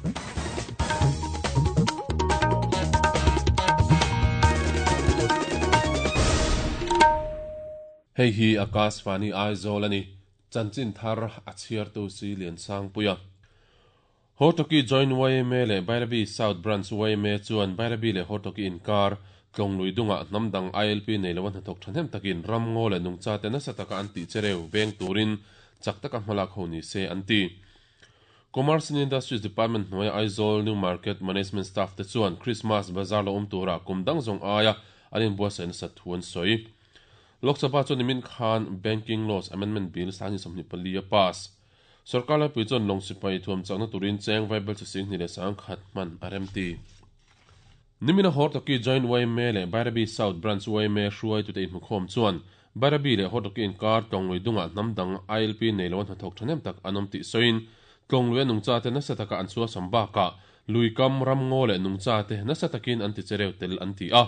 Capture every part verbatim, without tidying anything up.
Hei hi Akashvani Aizawl ani chanchin thar a chhiar tu si lian sang puia Hortoki Joint Y M A le Bairabi South Branch Y M A chuan Bairabi le Hortoki inkar tlonglui dunga hnamdang I L P nei lo hnathawk thahnem takin ramngaw le nungcha te nasa taka an tih chereu veng turin chak taka hmalak ho ni se an ti. Commerce and Industries Department hnuai Aizawl New Market Management Staff te chuan Christmas Bazaar lo awm tura kum dang zawng aia an inbuatsaih nasa thu an sawi. Lok Sabha chuan nimin khan Banking Laws Amendment Bill sangni sawmhnih pali a pass. Sarkar laipui chuan lawng sipai thuam chakna turin cheng vaibel chi sing hnih leh sang khat hman a rem ti. Nimina Hortoki Joint Y M A le Bairabi South Branch Y M A hruai tute inhmukhawm chuan Bairabi le Hortoki inkar tlonglui dunga hnamdang I L P nei lo hnathawk thahnem tak an awm tih sawiin tlonglui a nungcha te nasa taka an chua sam bakah luikam ramngaw leh nungcha te nasa takin an ti chereu tel an ti a.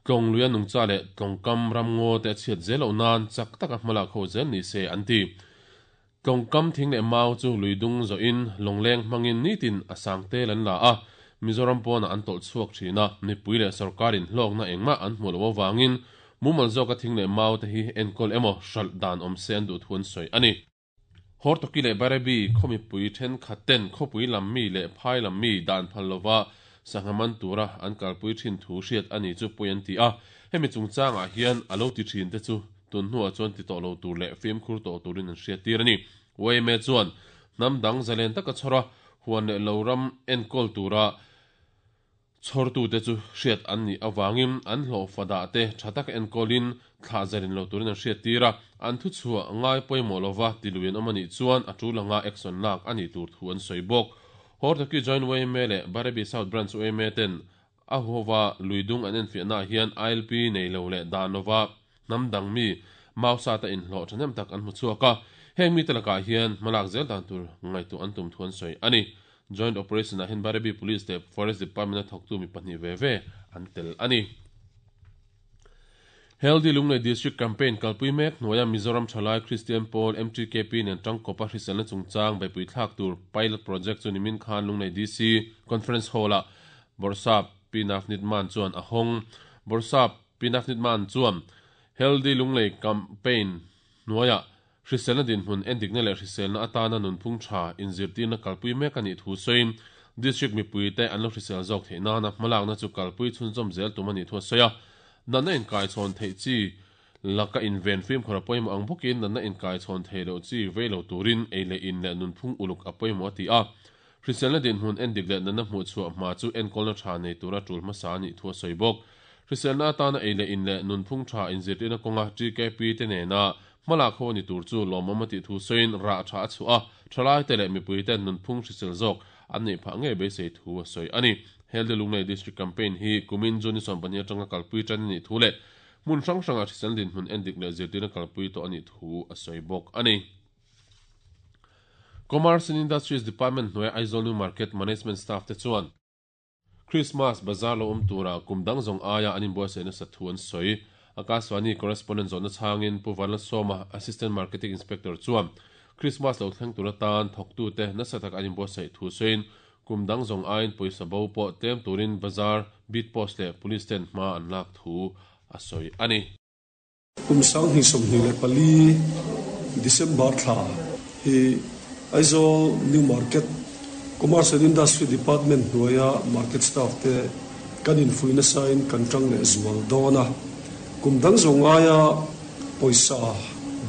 Tlonglui a nungcha leh tlongkam ramngaw te a chhiat zel loh nan chak taka hmalak ho zel ni se an ti. Tlongkam thing leh mau chu luidung zawhin lawngleng hmangin nitin a sang tel an la a. Mizoram pawna an tawlh chhuak thina mipui leh sarkarin hlawkna engmah an hmu lo awangin mumal zawk a thing leh mau te hi enkawl emaw hralh dan awm se an duh thu an sawi ani. Hortoki leh Bairabi khawmipui thenkhat ten khawpui lam mi leh phai lam mi dan phal lova sanghaman tura an kalpui thin thu hriat ani chu pui an ti a. Hemi chungchangah hian a lo ti thin te chu tun hnuah chuan ti tawh lo tur leh fimkhur tawh turin an hriat tir ani. Y M A chuan hnam dang zalen taka chhawra huan leh lo ram enkawl tura chhawrtu te chu hriat an ni awangin an hlawh fada te tha taka enkawlin thlah zarin lo turin an hriat tir a. An thu chhuah ngai pawimawh lova tiluin awm ani chuan a tul anga action lak ani tur thu an sawi bawk. Hortoki Joint Y M A le Bairabi South Branch Y M A ten a huwa luidung an enfiahna hian I L P nei lo leh dan lova hnamdang mi mausa ta inhlawh thahnem tak an hmu chhuak a. Heng mi te lakah hian hmalak zel dan tur ngaitu an tum thu an sawi ani. Joint Operation ah hian Bairabi Police te Forest Department a thawktu mi pahnih ve ve an tel ani. Healthy Lunglei District Campaign kalpui mek hnuaia Mizoram Thalai Christian Pawl M T K P nen tangkawpa hriselna chungchang beipui thlak tur pilot project chu nimin khan Lunglei D C Conference Hall ah Borsap Pinafnit Man chuan a hawng. Borsap Pinafnit Man chuan Healthy Lunglei Campaign hnuaia hriselna dinhmun endikna leh hriselna atana nunphung tha inzirtirna kalpui mek ani thu sawiin district mipui te an lo hrisel zawk theih nana hmalakna chu kalpui chhunzawm zel tum ani thu a sawi a. Natna inkai chhawn theih chi laka inven fimkhur a pawimawh ang bawkin natna inkai chhawn thei loh chi vei lo turin ei leh in leh nunphung uluk a pawimawh a ti a. Hriselna dinhmun endik leh natna hmuh chhuah hma chu enkawlna tha nei tura tul hmasa ani thu a sawi bawk. Hriselna atana ei leh in leh nunphung tha inzirtirna kawnga T K P te nena hmalak ho ani tur chu lawmawm a tih thu sawiin rah tha a chhuah a. Thalai te leh mipui ten nunphung hrisel zawk an neih phah ngei beisei thu a sawi ani. Healthy Lunglei District Campaign hi kumin June sawm pahnih atanga kalpui tan ani thu leh hmun hrang hranga hrisel dinhmun endik leh zirtirna kalpui tawh ani thu a sawi bawk ani. Commerce and Industries Department hnuai Aizawl New Market Management Staff te chuan Christmas Bazaar lo awm tura kum dang zawng aia an inbuatsaih nasa thu an sawi. Akashvani correspondent zawhna changin Pu Vanla Sawma Assistant Marketing Inspector chuan Christmas lo thleng tura tan thawktu te nasa tak an inbuatsaih thu sawiin kum dang zawng aiin pawisa bo pawh tlem turin bazaar beat post leh police ten hma an lak thu a sawi ani. Kum sang hnih sawmhnih leh pali December thla hi Aizawl New Market Commerce and Industry Department hnuaia market staff te kan infuina sain kan tang leh zual dawn a. Kum dang zawng aia pawisa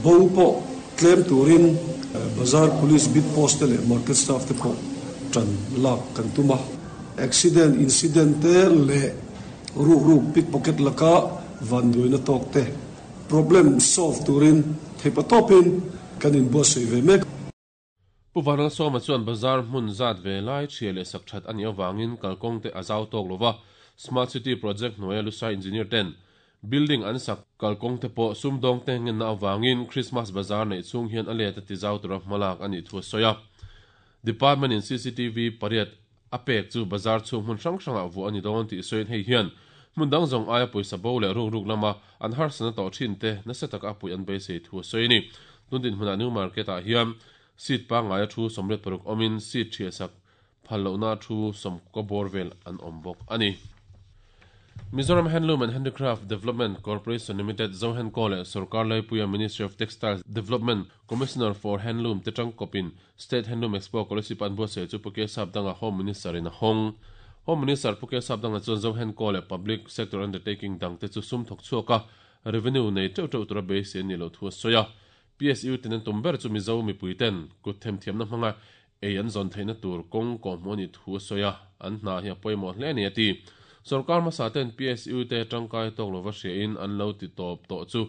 bo pawh tlem turin bazaar police beat post te leh market staff te pawh tan lak kan tuma. Accident incident te leh ruk ruk pickpocket laka van duina tawk te problem solve turin theipa tawpin kan inbuatsaih ve mek. Pu Vanal Sawma chuan bazaar hmun zat ve lai thria leh sak that ani awangin kalkawng te a zau tawk lova. Smart City Project hnuaia Lusai Engineer ten building an sak kalkawng te pawh sumdawng te ngenna awangin Christmas Bazaar nei chung hian a let a ti zau tura hmalak ani thu a sawi a. Department in C C T V pariat a pek chu bazaar chung hmun hrang hrangah vuah ani dawn tih sawiin hei hian hmun dang zawng aia pawisa bo leh ruk ruk lama an harsana tawh thin te nasa taka a pui an beisei thu a sawi ani. Tun din hmunah New Market ah hian seat pangngai a thu sawmriat paruk awmin seat thria sak phallo na thu som ko borvel an ombok ani. Mizoram Handloom and Handicraft Development Corporation Limited Zohan Kole Sarkar Laipuia Ministry of Textiles Development Commissioner for Handloom Tetang Kopin State Handloom Expo Kolasib an buatsaih chu Puke Sapdanga Home Minister in a hawng. Home Minister Puke Sapdanga chuan Zohan Kole Public Sector Undertaking dang te chu sum thawk chhuak a revenue nei teuh teuh tura beisei ani lo thu a sawi a. P S U ten an tum ber chu Mizo mipui ten kut themthiamna hmanga ei an zawn theihna tur kawng kawhhmuh ani thu a sawi a, an hna hi a pawimawh hle ani a ti. Sarkar hmasa ten P S U te tangkai tawk lova hriain an lo ti tawp tawh chu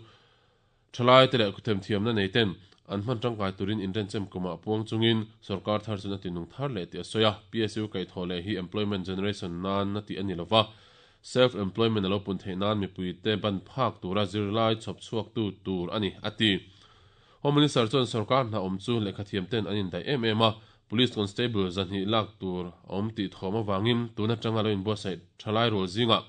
thalai te leh themthiamna nei ten an hman tangkai turin inrenchem kumah puang chungin sarkar thar chun a tinung thar leh ti a sawi a. P S U kaihthawh leh hi employment generation nan na ti ani lova, self employment alo pun theih nan mipui te ban phak tura zirlai chhawp chhuak tu tur ani a ti. Home Minister chuan sarkar hna awm chu lehkhathiam ten an indaih em em a, Police Constable zahnih lak tur awm tih thawm awangin tuna tanga lo inbuatsaih thalai rual zinga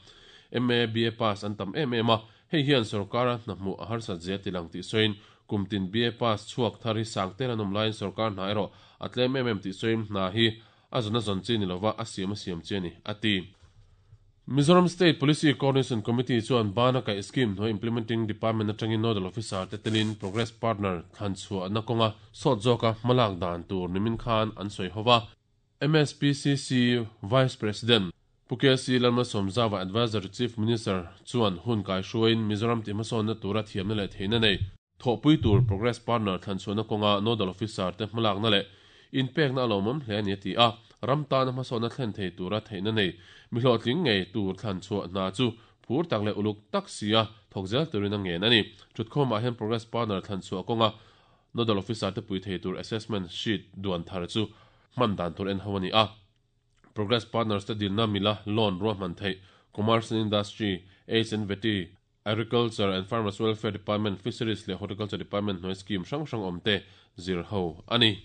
M A B A pass an tam em em a, hei hian sarkara hna hmuh a harsat zia tilang tih sawiin kumtin B A pass chhuak thar hi sang tel an awm laiin sarkar hna erawh a tlem em em tih sawiin hna hi a zawn a zawn chi ni lova a siam a siam chi ani a ti. Mizoram State Policy Coordination Committee chuan bana kai scheme hnuai implementing department atangin nodal officer te telin progress partner thlan chhuah na kawnga sawt zawka hmalak dan tur nimin khan an sawi hova. M S P C C Vice President Puke C Lalmalsawmzawa Advisor Chief Minister chuan hun kai hruain Mizoram ti hmasawn na tura thiamna leh theihna nei thawhpui tur progress partner thlan chhuah na kawnga nodal officer te hmalak na leh inpekna a lawmawm hle ani a ti a, ram tana hmasawn na thlen thei tura theihna nei mihlawhtling ngei tur thlan chhuah hna chu phur tak leh uluk tak sia thawk zel turin a ngen ani. Thutkhawmah hian progress partner thlan chhuah kawnga nodal officer te pui thei tur assessment sheet duan thar chu hman dan tur en ho ani a. Progress partners te dilna mila loan ruahman theih Commerce and Industry, H and V T, Agriculture and Farmers Welfare Department, Fisheries leh Horticulture Department hnuai scheme hrang hrang awm te zir ho ani.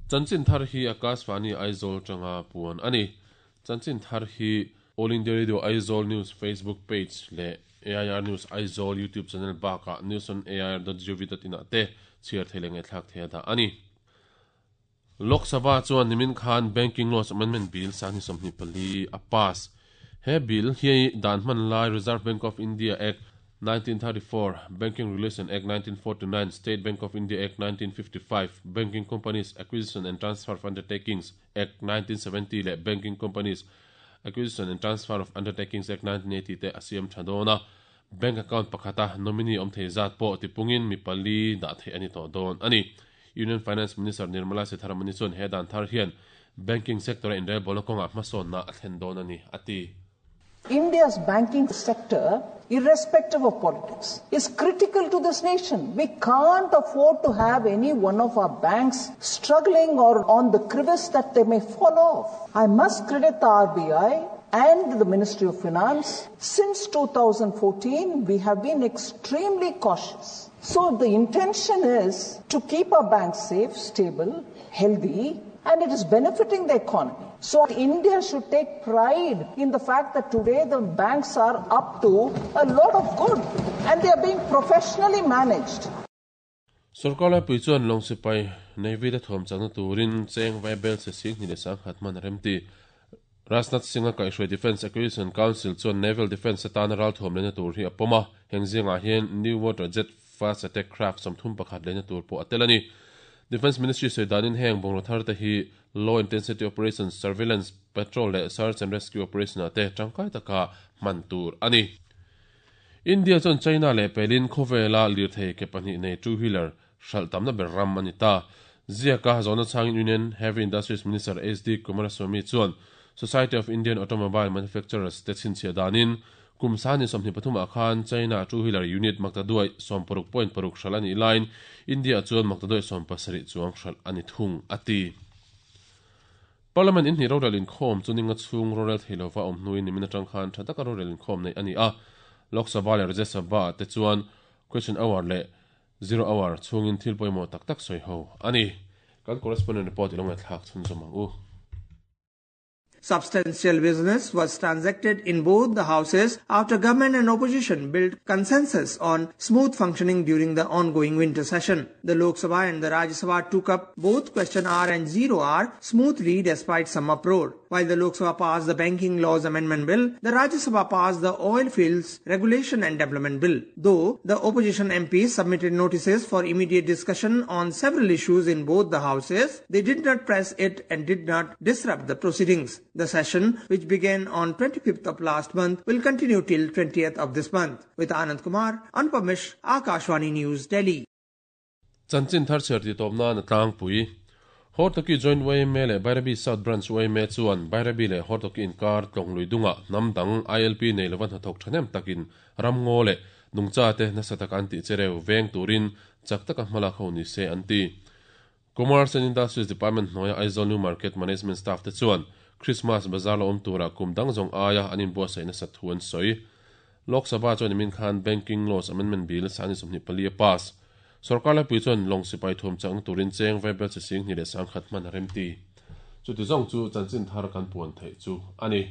Chanchin thar hi Akashvani Aizawl tanga puan ani. Chanchin thar hi All India Radio Aizawl News Facebook page leh A I R News Aizawl YouTube channel baka news on A I R dot gov dot in ah te chhiar thei leh ngaihthlak thei a dah ani. Lok Sabha chuan nimin khan Banking Laws Amendment Bill sangni sawmhnih pali a pass. He bill hi dan hman lai Reserve Bank of India Act nineteen thirty-four, Banking Regulation Act nineteen forty-nine, State Bank of India Act nineteen fifty-five, Banking Companies Acquisition and Transfer of Undertakings Act nineteen seventy leh Banking Companies Acquisition and Transfer of Undertakings Act nineteen eighty te a siam tha dawn a. Bank account pakhata nominee awm thei zat pawh tipungin mi pali dah thei ani tawh dawn ani. Union Finance Minister Nirmala Sitharaman chuan he dan thar hian banking sector a inrelbawl na kawngah hmasawn na a thlen dawn ani a ti. India's banking sector, irrespective of politics, is critical to this nation. We can't afford to have any one of our banks struggling or on the crevice that they may fall off. I must credit the R B I and the Ministry of Finance. Since two thousand fourteen, we have been extremely cautious. So the intention is to keep our banks safe, stable, healthy, and it is benefiting the economy. So India should take pride in the fact that today the banks are up to a lot of good and they are being professionally managed. Sarkar laipui chuan lawng sipai Navy te thawm chakna turin cheng vai bel se sing hnih leh sang khat hman a remti. Rajnath Singh a kaihhruai Defence Acquisition Council chuan Naval Defence atana ral thawm lehna tur hi a pawm a, heng zingah hian New Water Jet Fast Attack Craft sawmthum pakhat lehna tur pawh a tel ani. Defence Ministry sawi danin heng bungraw thar te hi Low Intensity Operations, Surveillance, Patrol leh Search and Rescue Operation ah te tangkai taka hman tur ani. India chuan China leh pelin khawvela lirthei ke pahnih nei two-wheeler hral tamna ber ram ani ta. Ziaka zawna changin Union Heavy Industries Minister H D Kumaraswamy chuan Society of Indian Automobile Manufacturers te chhinchhiah danin kum sani sawmhnih pathum ah khan China two-wheeler unit maktaduai sawm paruk point paruk hral ani line India chuan maktaduai sawm pasarih chuang hral ani thung ati. Parliament in hnih rorel inkhawm chu ninga chhung rorel theilova awm hnuin nimin atang khan tha taka rorel inkhawm nei ani a. Lok Sabha leh Rajya Sabha te chuan question hour leh zero hour chhungin thil pawimawh tak tak sawi ho ani. Kan correspondent report ilong thlak chhun zawm ang u. Substantial business was transacted in both the houses after government and opposition built consensus on smooth functioning during the ongoing winter session. The Lok Sabha and the Rajya Sabha took up both question hour and zero hour smoothly despite some uproar. While the Lok Sabha passed the Banking Laws Amendment Bill, the Rajya Sabha passed the Oil Fields Regulation and Development Bill. Though the opposition M Ps submitted notices for immediate discussion on several issues in both the houses, they did not press it and did not disrupt the proceedings. The session, which began on twenty-fifth of last month, will continue till twentieth of this month. With Anand Kumar, Anupam Mishra, Akashvani News, Delhi. Chanchin thar cher ti topna na tlang pui. Hortoki Joint Y M A le Bairabi South Branch Y M A chuan Bairabi le Hortoki inkar tlonglui dunga namdang I L P nei lovan hnathawk thahnem takin ramngaw le nungcha te nasa tak an tih chereu veng turin chak taka hmalak ho ni se an ti. Commerce and Industries Department hnuaia Aizawl New Market Management Staff te chuan Christmas Bazaar lo awm tura kum dang zawng aia an inbuatsaih nasa thu an sawi. Lok Sabha chuan imin khan Banking Laws Amendment Bill sani sawmhnih pali a pass. Sarkar laipui chuan lawng sipai thuam chakna turin cheng vaibel chi sing hnih leh sangkhat hman a rem ti. Chuti zawng chu chanchin thar kan puan theih chu ani.